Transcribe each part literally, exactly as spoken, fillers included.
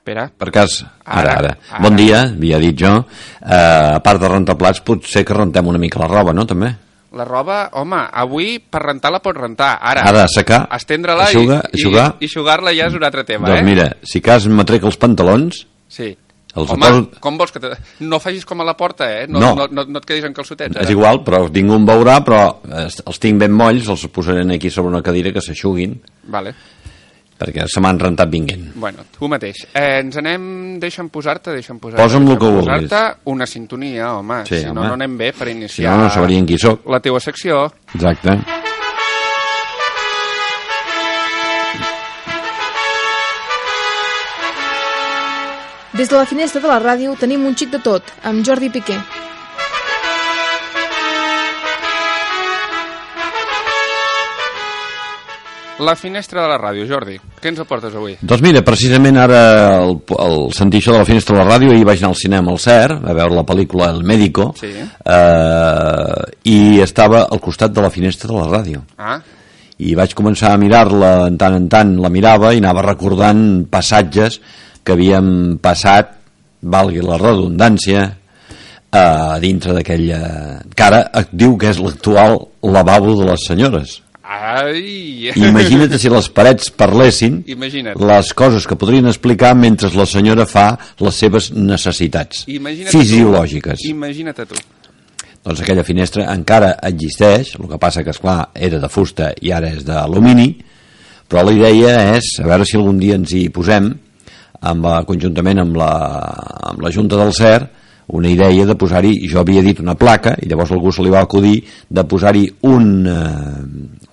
Espera. Per cas, ara, ara. ara. Bon dia, havia dit jo. Uh, a part de rentar plats, potser que rentem una mica la roba, no, també? La roba, home, avui per rentar la pots rentar. Ara, ara assecar, estendre-la eixugar, i, eixugar. i, i eixugar-la ja és un altre tema, doncs eh? Doncs mira, si cas me trec els pantalons... Sí. Els home, poso... com vols que te... No facis com a la porta, eh? No, no. no, no, no et quedis en calçotets, ara. És igual, però ningú em veurà, però els tinc ben molls, els posaré aquí sobre una cadira que s'eixuguin. Vale. Perquè se m'han rentat vinguent. Bueno, tu mateix. Eh, ens anem... Deixa'm posar-te, deixa'm posar-te... Posa'm el que vulguis. Posar-te una sintonia, home. Sí, si home. no, no anem bé per iniciar... Si no, no sabrien qui soc. La teua secció. Exacte. Des de la finestra de la ràdio tenim un xic de tot, amb Jordi Piqué. La finestra de la ràdio, Jordi. Què ens aportes avui? Doncs mira, precisament ara el, el sentir això de la finestra de la ràdio, ahir vaig anar al cinema al C E R a veure la pel·lícula El Médico, sí. eh, i estava al costat de la finestra de la ràdio. Ah. I vaig començar a mirar-la, en tant en tant la mirava i anava recordant passatges que havíem passat, valgui la redundància, a dintre d'aquella... que ara et diu que és l'actual lavabo de les senyores. Ai! Imagina't si les parets parlessin. Imagina't. Les coses que podrien explicar mentre la senyora fa les seves necessitats Imagina't fisiològiques. Tu. Imagina't a tu. Doncs aquella finestra encara existeix, el que passa que, esclar, era de fusta i ara és d'alumini, però la idea és, a veure si algun dia ens hi posem, amb la, conjuntament amb la, amb la Junta del C E R, una idea de posar-hi, jo havia dit una placa, i llavors algú se li va acudir de posar-hi un,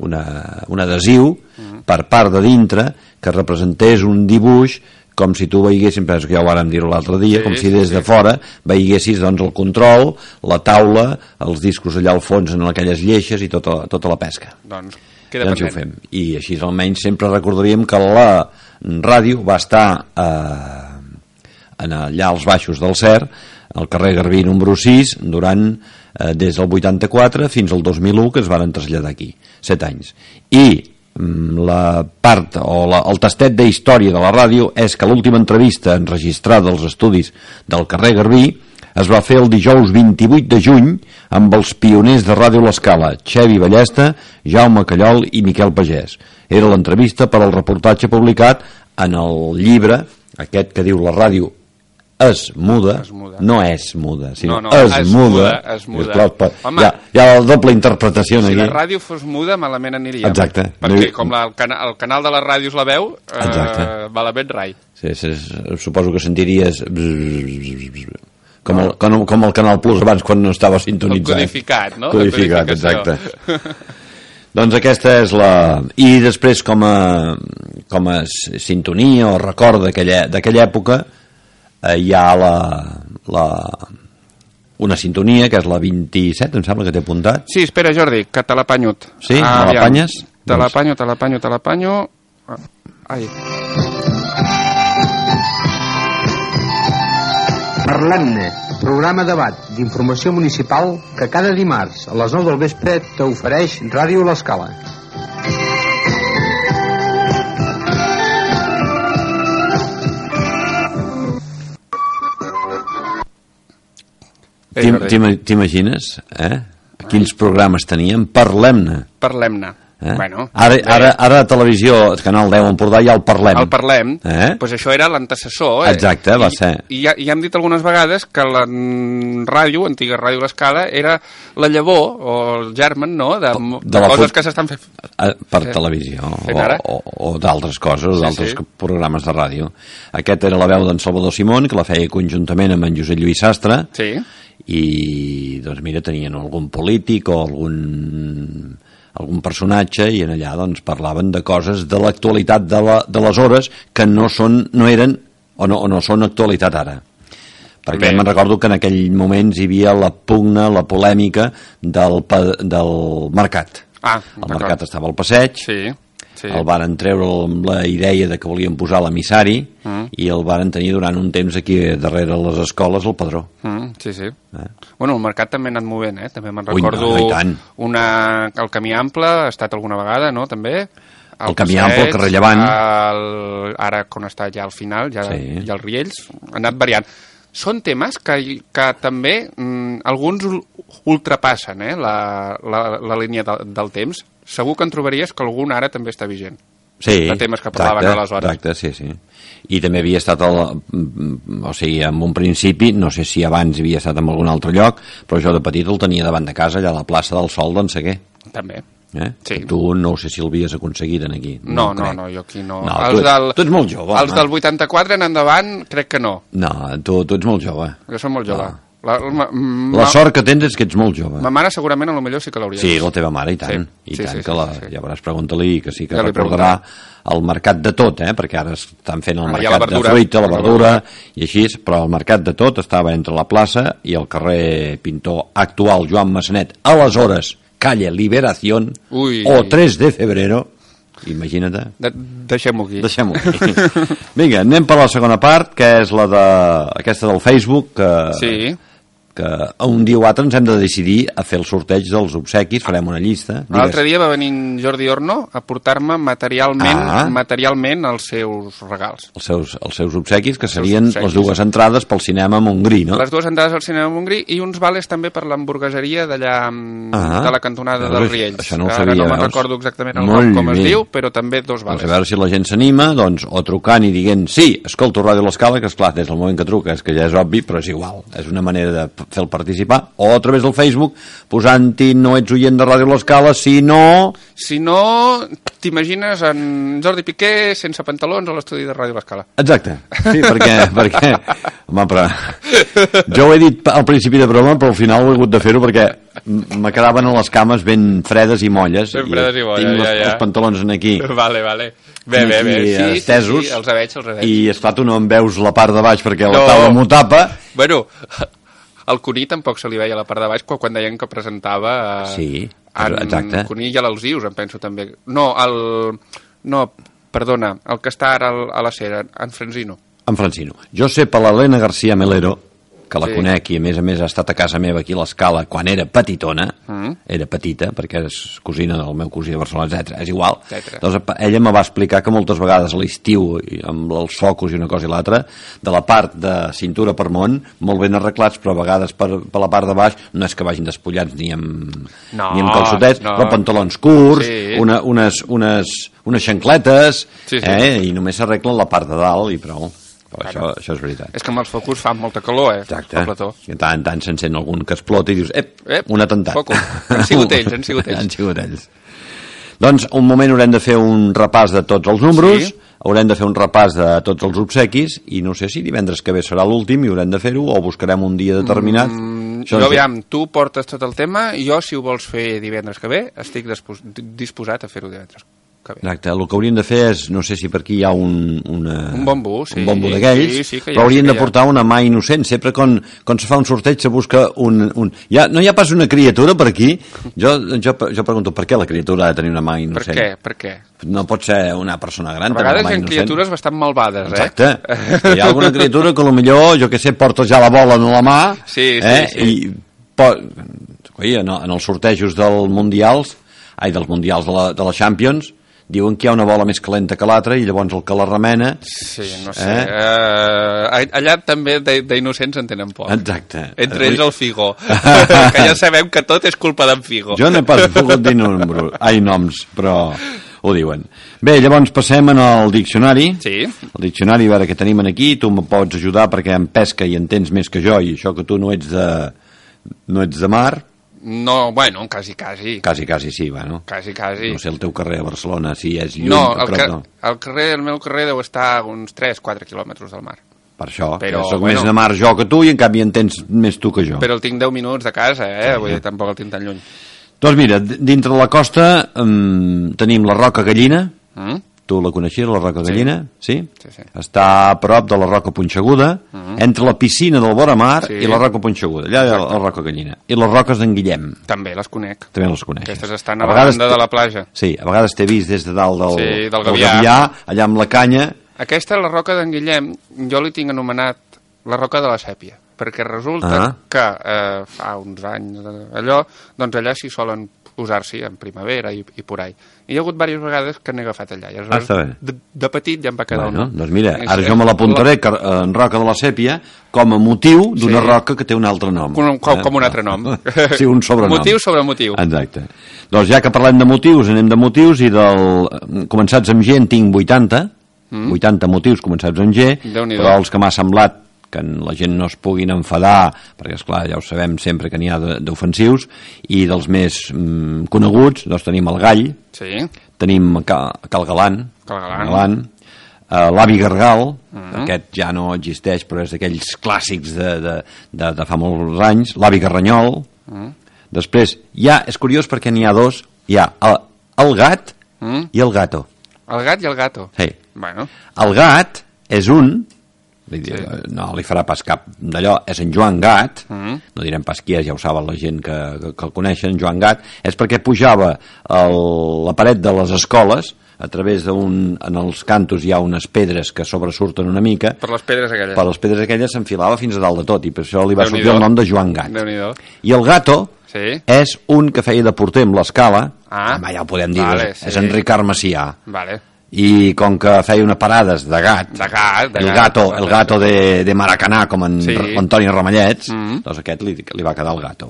una, un adhesiu mm. per part de dintre que representés un dibuix com si tu veiessis, penso que ja ho vàrem dir l'altre dia, sí, com si des de fora veiessis doncs, el control, la taula, els discos allà al fons en aquelles lleixes i tota, tota la pesca. Doncs queda doncs ho fem. I així almenys sempre recordaríem que la ràdio va estar eh, en allà als baixos del C E R, al carrer Garbí número sis, durant eh, des del vuitanta-quatre fins al dos mil u, que es van traslladar aquí, set anys. I la part o la, el tastet de història de la ràdio és que l'última entrevista enregistrada als estudis del carrer Garbí es va fer el dijous vint-i-vuit de juny amb els pioners de Ràdio L'Escala, Xevi Ballesta, Jaume Callol i Miquel Pagès. Era l'entrevista per al reportatge publicat en el llibre aquest que diu La ràdio és muda, es muda. No és muda, sinó no, no, és, es muda, muda, es muda. Esclar, hi, ha, hi ha la doble interpretació si aquí. la ràdio fos muda malament aniríem. Exacte. Perquè com la, el, cana, el canal de la ràdio és la veu, Exacte. eh, malament rai. Sí, sí, suposo que sentiries com el, com, com el Canal Plus abans quan no estava sintonitzat. El codificat, no? Codificat, exacte. Doncs aquesta és la... I després com a, com a sintonia o record d'aquella època eh, hi ha la, la, una sintonia que és la vint-i-set, em sembla que t'he apuntat. Sí, espera Jordi, que te l'apanyot. Sí? Ah, me l'apanyes? Te l'apanyo, te l'apanyo, te l'apanyo. Ai. Parlem-ne, programa debat d'informació municipal que cada dimarts a les nou del vespre t'ofereix Ràdio L'Escala. T'imagines, eh? Quins programes teníem? Parlem-ne. Parlem-ne. Eh? Bueno, ara, ara, ara a televisió, Canal deu Empordà, ja el Parlem. El Parlem, eh? pues això era l'antecessor. Eh? Exacte, va I, ser. I ja, ja hem dit algunes vegades que la ràdio, antiga Ràdio L'Escala, era la llavor, o el germen, no?, de, de, de coses fut... que s'estan fent... Per eh, televisió, o, o, o d'altres coses, sí, d'altres sí. programes de ràdio. Aquest era la veu d'en Salvador Simón, que la feia conjuntament amb en Josep Lluís Sastre, sí. I, doncs mira, tenien algun polític o algun... algun personatge i en allà doncs parlaven de coses de l'actualitat de, la, de les hores que no són, no eren o no, o no són actualitat ara, perquè me'n recordo que en aquell moments hi havia la pugna, la polèmica del, del mercat. Ah, el mercat estava al passeig, sí, sí. El varen treure amb la idea de que volien posar l'emissari mm. i el varen tenir durant un temps aquí darrere les escoles el padró. Mm, sí, sí. Eh? Bueno, el mercat també ha anat movent, eh? També me'n Ui, recordo no, no, una... el camí ample ha estat alguna vegada, no? També? el, el camí ample, el carrer Llevant. El, ara, quan està ja al final, ja, sí. ja els Riells, han anat variant. Són temes que, que també mm, alguns ultrapassen eh, la, la, la línia de, del temps. Segur que en trobaries que algun ara també està vigent. Sí, de temes que parlaven exacte, aleshores. Exacte, sí, sí. I també havia estat, el, o sigui, en un principi, no sé si abans havia estat en algun altre lloc, però jo de petit el tenia davant de casa, allà a la plaça del Sol d'en Seguer. També. Eh? Sí. Tu no sé si l'havies aconseguit en aquí. No, no, no, no, jo aquí no. no els tu, del, tu ets molt jove. Els del vuitanta-quatre en endavant, crec que no. No, tu, tu ets molt jove. Jo soc molt jove. No. La, ma, la sort que tens és que ets molt jove. Ma mare segurament a lo millor sí que l'hauria Sí, la teva mare, i tant. Sí, I sí, tant sí, que la, sí, sí. ja veuràs, pregunta-li, que sí que ja recordarà el mercat de tot, eh? Perquè ara estan fent el ah, mercat de fruita, la verdura, i així, però el mercat de tot estava entre la plaça i el carrer Pintor actual Joan Massanet, aleshores calle Liberación, Ui. o tres de febrero, imagina't. De, deixem-ho aquí. Deixem-ho aquí. Vinga, anem per la segona part, que és la de aquesta del Facebook, que... Sí. que un dia o altre ens hem de decidir a fer el sorteig dels obsequis, farem una llista. L'altre dia va venir Jordi Orno a portar-me materialment ah. materialment els seus regals. Els seus, els seus obsequis, que serien obsequis. Les dues entrades pel cinema Montgrí, no? Les dues entrades al cinema Montgrí i uns vales també per l'hamburgueseria d'allà ah. de la cantonada dels Riells. Això no ho Ara sabia, no me'n recordo exactament el nom com es diu, però també dos vales. Doncs a veure si la gent s'anima, doncs, o trucant i dient sí, escolto Ràdio L'Escala, que esclar, des del moment que truques, que ja és obvi, però és igual. És una manera de fer el participar, o a través del Facebook posant-hi no ets oient de Ràdio L'Escala, si no... Si no, t'imagines en Jordi Piqué sense pantalons a l'estudi de Ràdio L'Escala. Exacte, sí, perquè, perquè home, però jo ho he dit al principi de broma, però al final ho he hagut de fer-ho perquè me quedaven a les cames ben fredes i molles, ben fredes i, i molles, tinc ja, els, ja. els pantalons en aquí vale, vale. Bé, bé, bé, sí, estesos, sí, sí, els veig, els veig. I esclar, tu no em veus la part de baix perquè no. la taula m'ho tapa. Bueno, al Cuní tampoc se li veia la part de baix quan deien que presentava eh, sí, en exacte. Cuní i a l'Alzius, em penso també. No, el... No, perdona, el que està ara a la Cera, en Francino. En Francino. Jo sé per l'Helena García Melero, que la sí. conec i a més a més ha estat a casa meva aquí a l'Escala quan era petitona, mm. era petita perquè és cosina del meu cosí de Barcelona, etcètera. És igual. Etcètera. Doncs ella me va explicar que moltes vegades a l'estiu, amb els focus i una cosa i l'altra, de la part de cintura per món, molt ben arreglats, però a vegades per, per la part de baix no és que vagin despullats ni amb, no, ni amb calçotets, no. però pantalons curts, sí. una, unes, unes, unes xancletes, sí, sí. Eh, i només s'arreglen la part de dalt i prou. Però això, això és veritat. És que amb els focus fa molta calor, eh? Exacte. I tant en tant s'encén algun que explota i dius, ep, ep un atemptat. Focus. Han sigut ells, han sigut ells. han sigut ells. Doncs un moment haurem de fer un repàs de tots els números, sí. haurem de fer un repàs de tots els obsequis i no sé si divendres que ve serà l'últim i haurem de fer-ho o buscarem un dia determinat. Mm, jo, aviam, tu portes tot el tema i jo, si ho vols fer divendres que ve, estic dispos disposat a fer-ho divendres. Exacte, el que hauríem de fer és, no sé si per aquí hi ha un, una, un bombo, sí, un bombo d'aquells, sí, sí, però hauríem sí de portar una mà innocent. Sempre quan, quan se fa un sorteig se busca un... un... Ja, no hi ha pas una criatura per aquí? Jo, jo, jo pregunto, per què la criatura ha de tenir una mà innocent? Per què? Per què? No pot ser una persona gran. A vegades hi ha criatures bastant malvades, eh? Exacte. Hi ha alguna criatura que potser, jo que sé, porta ja la bola en la mà, sí, sí, eh? sí. I pot... Oi, en, en els sortejos dels mundials, ai, dels mundials de la, de la Champions, diuen que hi ha una bola més calenta que l'altra i llavors el que la remena... Sí, no sé. Eh? Uh, allà també d'innocents en tenen poc. Exacte. Entre ells el Figo. Que ja sabem que tot és culpa d'en Figo. Jo no he pas volgut dir número, ai, noms, però ho diuen. Bé, llavors passem en el diccionari. Sí. El diccionari, a veure què tenim aquí. Tu me pots ajudar perquè en pesca i entens més que jo i això que tu no ets de, no ets de mar... No, bueno, quasi, quasi. Quasi, quasi, sí, bueno. Quasi, quasi. No sé, el teu carrer a Barcelona, si és lluny... No, el, prop, ca no. el, carrer, el meu carrer deu estar a uns tres quatre quilòmetres del mar. Per això, però, soc bueno, més de mar jo que tu i en canvi en tens més tu que jo. Però el tinc deu minuts de casa, eh? Sí, vull dir, tampoc el tinc tan lluny. Doncs mira, dintre de la costa um, tenim la Roca Gallina. Mm? Tu la coneixies, la Roca Gallina? Sí. Sí? Sí, sí. Està a prop de la Roca Punxeguda, mm. entre la piscina del vora mar sí. i la Roca Punxeguda. Allà hi ha la Roca Gallina. I les roques d'en Guillem. També les conec. També les conec. Aquestes estan a, a la banda de la platja. Sí, a vegades t'he vist des de dalt del, sí, del, del Gavià. Gavià, allà amb la canya. Aquesta, la Roca d'en Guillem, jo li tinc anomenat la Roca de la Sèpia, perquè resulta ah. que eh, fa uns anys allò, doncs allà s'hi solen usar-s'hi en primavera i, i por ahí. I hi ha hagut diverses vegades que n'he agafat allà. I ah, està bé. De, de petit ja em va quedar bueno, un... Doncs mira, ara jo me l'apuntaré en Roca de la Sèpia com a motiu d'una sí. roca que té un altre nom. Com, com, com un altre nom. Sí, un sobrenom. Motiu sobre motiu. Exacte. Doncs ja que parlem de motius, anem de motius i del... Començats amb G en tinc vuitanta, mm. vuitanta motius començats amb G, però els que m'ha semblat que la gent no es puguin enfadar, perquè esclar, ja ho sabem sempre que n'hi ha d'ofensius, i dels més mm, coneguts, doncs tenim el Gall, sí. tenim Cal, Cal Galant, Cal Galant. Galant uh, l'Avi Gargal, uh -huh. aquest ja no existeix, però és d'aquells clàssics de, de, de, de fa molts anys, l'Avi Garranyol, uh -huh. després, ja, és curiós perquè n'hi ha dos, hi ha el, el gat uh -huh. i el gato. El gat i el gato? Sí. Bueno. El gat és un... Sí. No li farà pas cap d'allò, és en Joan Gat, uh -huh. no direm pas qui és, ja ho saben la gent que, que, que el coneixen, Joan Gat, és perquè pujava el, la paret de les escoles, a través d'un... en els cantos hi ha unes pedres que sobresurten una mica, per les pedres aquelles, per les pedres aquelles s'enfilava fins a dalt de tot, i per això li va sortir el nom de Joan Gat. I el Gato sí. és un que feia de porter amb l'escala, ah. home, ja ho podem dir, vale, és, sí. és en Ricard Macià. Vale. I com que feia una parades de gat, de gat de el gat, gato, el gato de, de Maracanà, com en sí. Antoni Ramallets, mm -hmm. doncs aquest li, li va quedar el gato.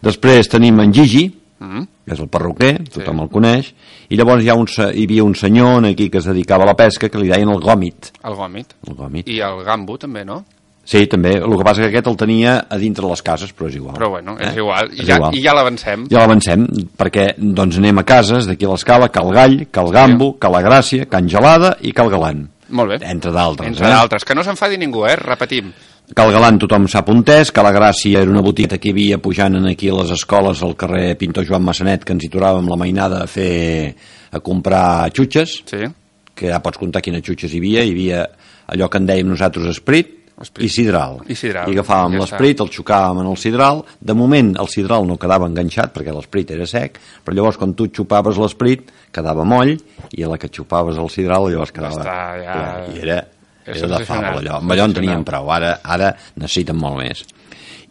Després tenim en Gigi, mm -hmm. que és el perruquer, tothom sí. el coneix, i llavors hi, ha un, hi havia un senyor aquí que es dedicava a la pesca que li deien el gòmit. El gòmit. El gòmit. I el gambo també, no? Sí, també, el que passa que aquest el tenia a dintre les cases, però és igual. Però bueno, és eh? igual, I és ja, igual. i ja l'avancem. Ja l'avancem, perquè doncs anem a cases d'aquí a l'escala, Cal Gall, Cal Gambo, Cal Gràcia, Can Gelada i Cal Galant. Molt bé. Entre d'altres. Entre eh? d'altres, que no s'enfadi ningú, eh? Repetim. Cal Galant tothom sap on és, Cal Gràcia era una botiga que hi havia pujant aquí a les escoles al carrer Pintor Joan Massanet, que ens hi trobàvem la mainada a fer, a comprar xutxes, sí. que ja pots comptar quines xutxes hi havia, hi havia allò que en dèiem nosaltres esprit, i sidral. I, sidral. I agafàvem ja l'esprit, el xocàvem en el sidral. De moment el sidral no quedava enganxat perquè l'esprit era sec, però llavors quan tu xupaves l'esprit quedava moll, i a la que xupaves el sidral llavors quedava... Està, ja... I era, era de fava allò. Amb allò en tenien prou, ara, ara necessiten molt més.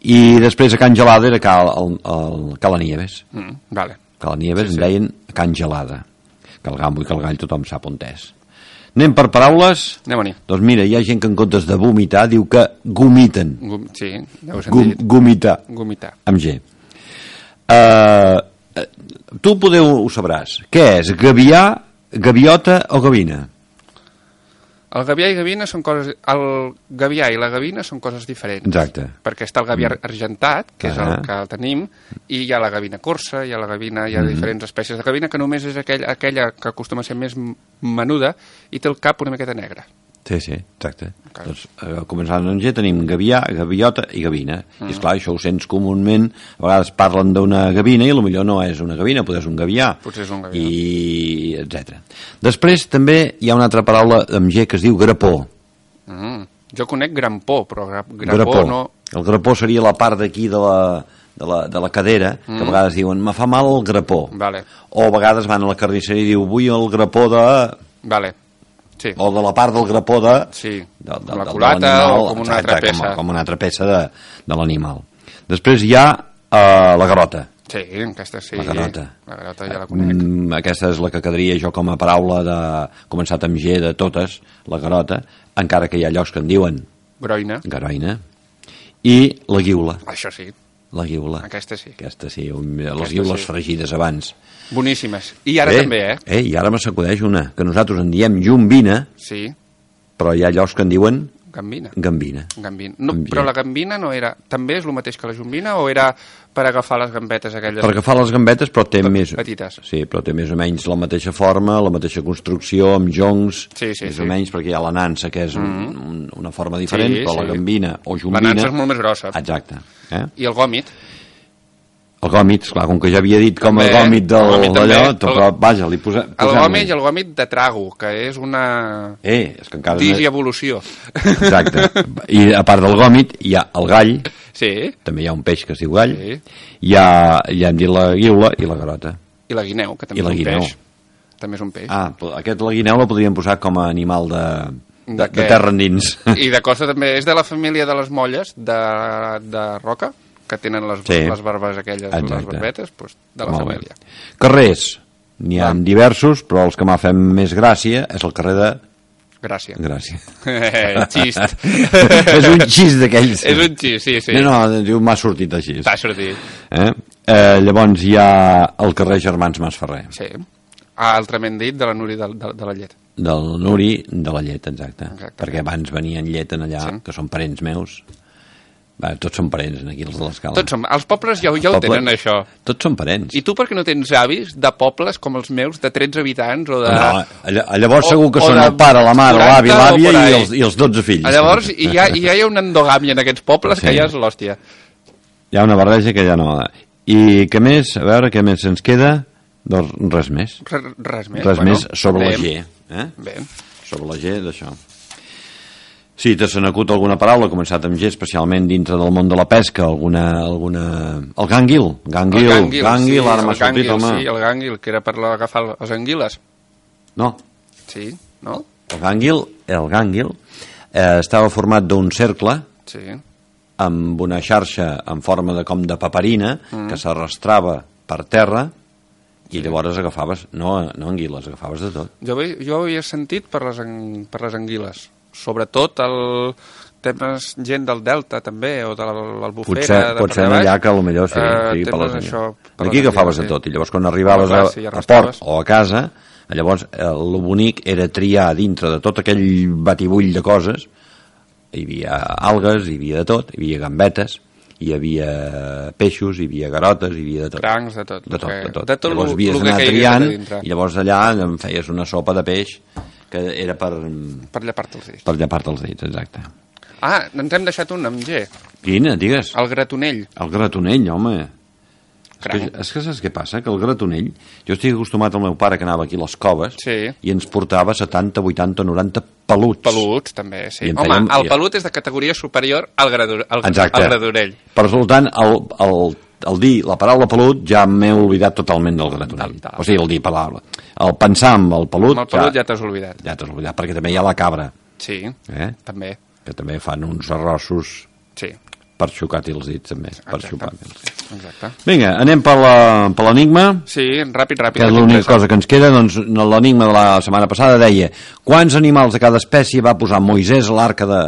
I després a Can Gelada era Cal, el, el Cala Nieves. Mm, vale. Cala Nieves sí, en sí. deien Can Gelada. Cal Gambo i Cal Gall tothom sap on és. Anem per paraules? Anem-hi. Doncs mira, hi ha gent que en comptes de vomitar diu que gomiten. Gum, sí, ja ho he sentit. Gum, gomitar. Gomitar. Amb G. Uh, tu podeu, ho sabràs. Què és? Gavià, gaviota o gavina? El gavià i gavina són coses... El gavià i la gavina són coses diferents. Exacte. Perquè està el gavià mm. argentat, que és ah. el que el tenim, i hi ha la gavina corsa, hi ha la gavina, hi ha mm. diferents espècies de gavina, que només és aquell, aquella que acostuma a ser més menuda i té el cap una miqueta negre. Sí, sí, exacte. Okay. Doncs, eh, començant amb G tenim gavià, gaviota i gavina. Mm. I esclar, això ho sents comúment, a vegades parlen d'una gavina i potser no és una gavina, potser és un gavià. Potser és un gavià. I etcètera. Després també hi ha una altra paraula amb G que es diu grapó. Mm. Jo conec grampó, però grapó, grapó no... El grapó seria la part d'aquí de la... De la, de la cadera, mm. que a vegades diuen me fa mal el grapó, vale. O a vegades van a la carnisseria i diu vull el grapó de... Vale. Sí. O de la part del grapó de... Sí, de, de, com la culata o com una exacte, altra peça. Com, com una altra peça de, de l'animal. Després hi ha uh, la garota. Sí, aquesta sí. La garota. La garota ja la conec. Mm, aquesta és la que quedaria jo com a paraula de començat amb G de totes, la garota, encara que hi ha llocs que en diuen... Groina. Garoina. I la guiula. Això sí. La guiula. Aquesta sí. Aquesta sí, un, les Aquesta guiules sí. fregides abans. Boníssimes. I ara eh, també, eh? Eh, i ara me s'acudeix una, que nosaltres en diem llombina, sí. però hi ha llocs que en diuen... Gambina. Gambina. Gambina. No, però la gambina no era... També és el mateix que la jombina o era per agafar les gambetes aquelles? Per agafar les gambetes, però té més... Petites. Sí, però té més o menys la mateixa forma, la mateixa construcció, amb joncs, sí, sí, més sí. o menys, perquè hi ha la nansa, que és un, mm. un, una forma diferent, sí, però sí. la gambina o jombina... La nansa és molt més grossa. Exacte. Eh? I el gòmit? El gòmit, esclar, com que ja havia dit com també, el gòmit d'allò, però el, vaja, li posa, el gòmit i el gòmit de trago, que és una eh, és que encara digievolució. Exacte. I a part del gòmit hi ha el gall, sí. també hi ha un peix que es diu gall, sí. hi ha, ja hem dit la guiula i la garota. I la guineu, que també I és un guineu. peix. També és un peix. Ah, aquest la guineu la podríem posar com a animal de, de, de, de terra endins. I de cosa també, és de la família de les molles de, de roca, que tenen les, sí. les barbes aquelles, exacte. Les barbetes, doncs, de la Molt família. Bé. Carrers, n'hi ha Va. diversos, però els que m'ha fet més gràcia és el carrer de... Gràcia. Gràcia. Xist. És un xist d'aquells. És un xist, sí, sí. No, no, diu, m'ha sortit així. T'ha sortit. Eh? Eh, llavors hi ha el carrer Germans Masferrer. Sí. Altrament dit, de la Núria de, de, de la Llet. Del Nuri de la Llet, exacte. exacte. Perquè abans venien Llet en allà, sí. que són parents meus. Va, tots són parents, aquí, els de l'escala. Tots són, els pobles ja, ja ho Poble, tenen, això. Tots són parents. I tu per què no tens avis de pobles com els meus, de tretze habitants, o de... No, llavors o, segur que són el pare, la mare, l'avi, l'àvia i, els, i els dotze fills. Llavors hi ha, hi ha una endogàmia en aquests pobles sí. que ja és l'hòstia. Hi ha una barreja que ja no... I què més? A veure, què més ens queda? Doncs res més. Res, res més. Res bueno, més sobre bé. la G. Eh? Bé. Sobre la G d'això. Sí, te se n'acut alguna paraula, començat amb G, especialment dintre del món de la pesca, alguna... alguna... El gànguil. Gànguil, el gànguil, gànguil sí, ara m'ha sortit, home. Sí, el gànguil, que era per agafar les anguiles. No. Sí, no? El gànguil, el gànguil eh, estava format d'un cercle sí. amb una xarxa en forma de com de paperina mm. que s'arrastrava per terra i sí. llavors agafaves, no, no anguiles, agafaves de tot. Jo, jo ho havia sentit per les, per les anguiles. Sobretot el temes gent del Delta també, o de l'Albufera potser, de pot ser allà que potser sí, uh, sí per les això, per aquí agafaves de tot i llavors quan arribaves a, sí, a port o a casa llavors el bonic era triar dintre de tot aquell batibull de coses. Hi havia algues, hi havia de tot, hi havia gambetes, hi havia peixos, hi havia garotes, hi havia de tot. Crancs, de tot. De tot, de tot. De tot llavors havies d'anar triant i llavors allà em feies una sopa de peix que era per... Per llepar-te els dits. Per llepar-te els dits, exacte. Ah, ens hem deixat un amb G. Quina, digues? El gratonell. El gratonell, home. És que, és que saps què passa? Que el gratonell... Jo estic acostumat al meu pare que anava aquí a les coves sí. i ens portava setanta, vuitanta, noranta peluts. Peluts, també, sí. Home, fèiem, el pelut és de categoria superior al, gradu, al, al gratonell. Per resultant, el, el, el dir la paraula pelut ja m'he oblidat totalment del gratonell. Tal, tal. O sigui, el dir paraula. El pensar en el pelut... Amb el pelut ja, ja t'has oblidat. Ja t'has oblidat, perquè també hi ha la cabra. Sí, eh? també. Que també fan uns arrossos... Sí. Per xocar-t'hi els dits, també. Per Exacte. Exacte. Vinga, anem per l'enigma. Sí, ràpid, ràpid. Que és l'única cosa que ens queda. Doncs l'enigma de la setmana passada deia quants animals de cada espècie va posar Moisès a l'arca de...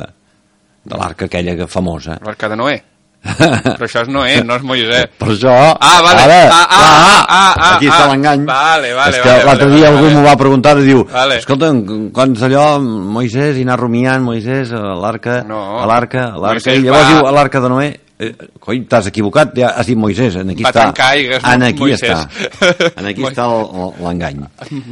de l'arca aquella famosa. L'arca de Noé. Però això és Noé, no és Moisès. Per això... Ah, vale. Ara, ah, ah, ah, ah, ah, aquí està l'engany. Vale, vale. És que vale, l'altre vale, dia vale, algú vale. m'ho va preguntar i diu, vale. escolta, quants allò, Moisès, i anar rumiant, Moisès, a l'arca, no. a l'arca, a l'arca, i llavors va... diu, a l'arca de Noé, eh, coi, t'has equivocat, ja has dit Moisès, en aquí va està. Aigues, en aquí Moisès. està. En aquí està l'engany.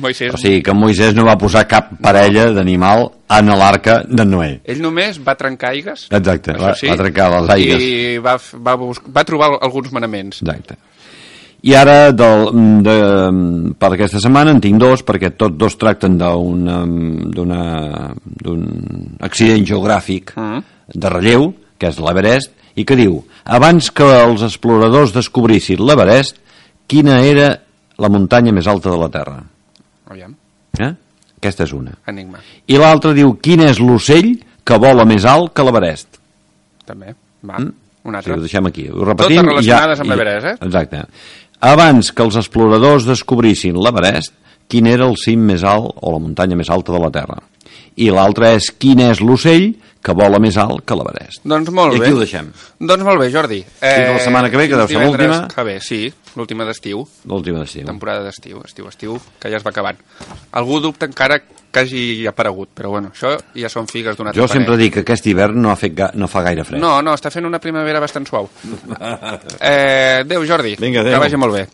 Moisès. O sigui, que Moisès no va posar cap parella d'animal en l'arca de Noé. Ell només va trencar aigues. Exacte, va, sí, va trencar les aigues. I va, va, va trobar alguns manaments. Exacte. I ara, del, de, per aquesta setmana, en tinc dos, perquè tots dos tracten d'un accident geogràfic mm. de relleu, que és l'Everest, i que diu, abans que els exploradors descobrissin l'Everest, quina era la muntanya més alta de la Terra? Aviam. Eh? Aquesta és una. Enigma. I l'altra diu, quin és l'ocell que vola més alt que l'Everest? També. Va, mm? un altre. Sí, ho deixem aquí. Ho repetim. Totes relacionades ja, amb l'Everest, eh? Exacte. Abans que els exploradors descobrissin l'Everest, quin era el cim més alt o la muntanya més alta de la Terra? I l'altra és, quin és l'ocell que vola més alt que l'Everest? Doncs molt bé. I bé. aquí ho deixem. Doncs molt bé, Jordi. Eh, Fins la setmana que ve, que deu ser l'última. Que bé, sí, l'última d'estiu. L'última d'estiu. Temporada d'estiu, estiu, estiu, que ja es va acabant. Algú dubta encara que hagi aparegut, però bueno, això ja són figues d'un altre Jo sempre dic que aquest hivern no, ha fet ga no fa gaire fred. No, no, està fent una primavera bastant suau. eh, adéu, Jordi. Vinga, adéu. Que vagi molt bé.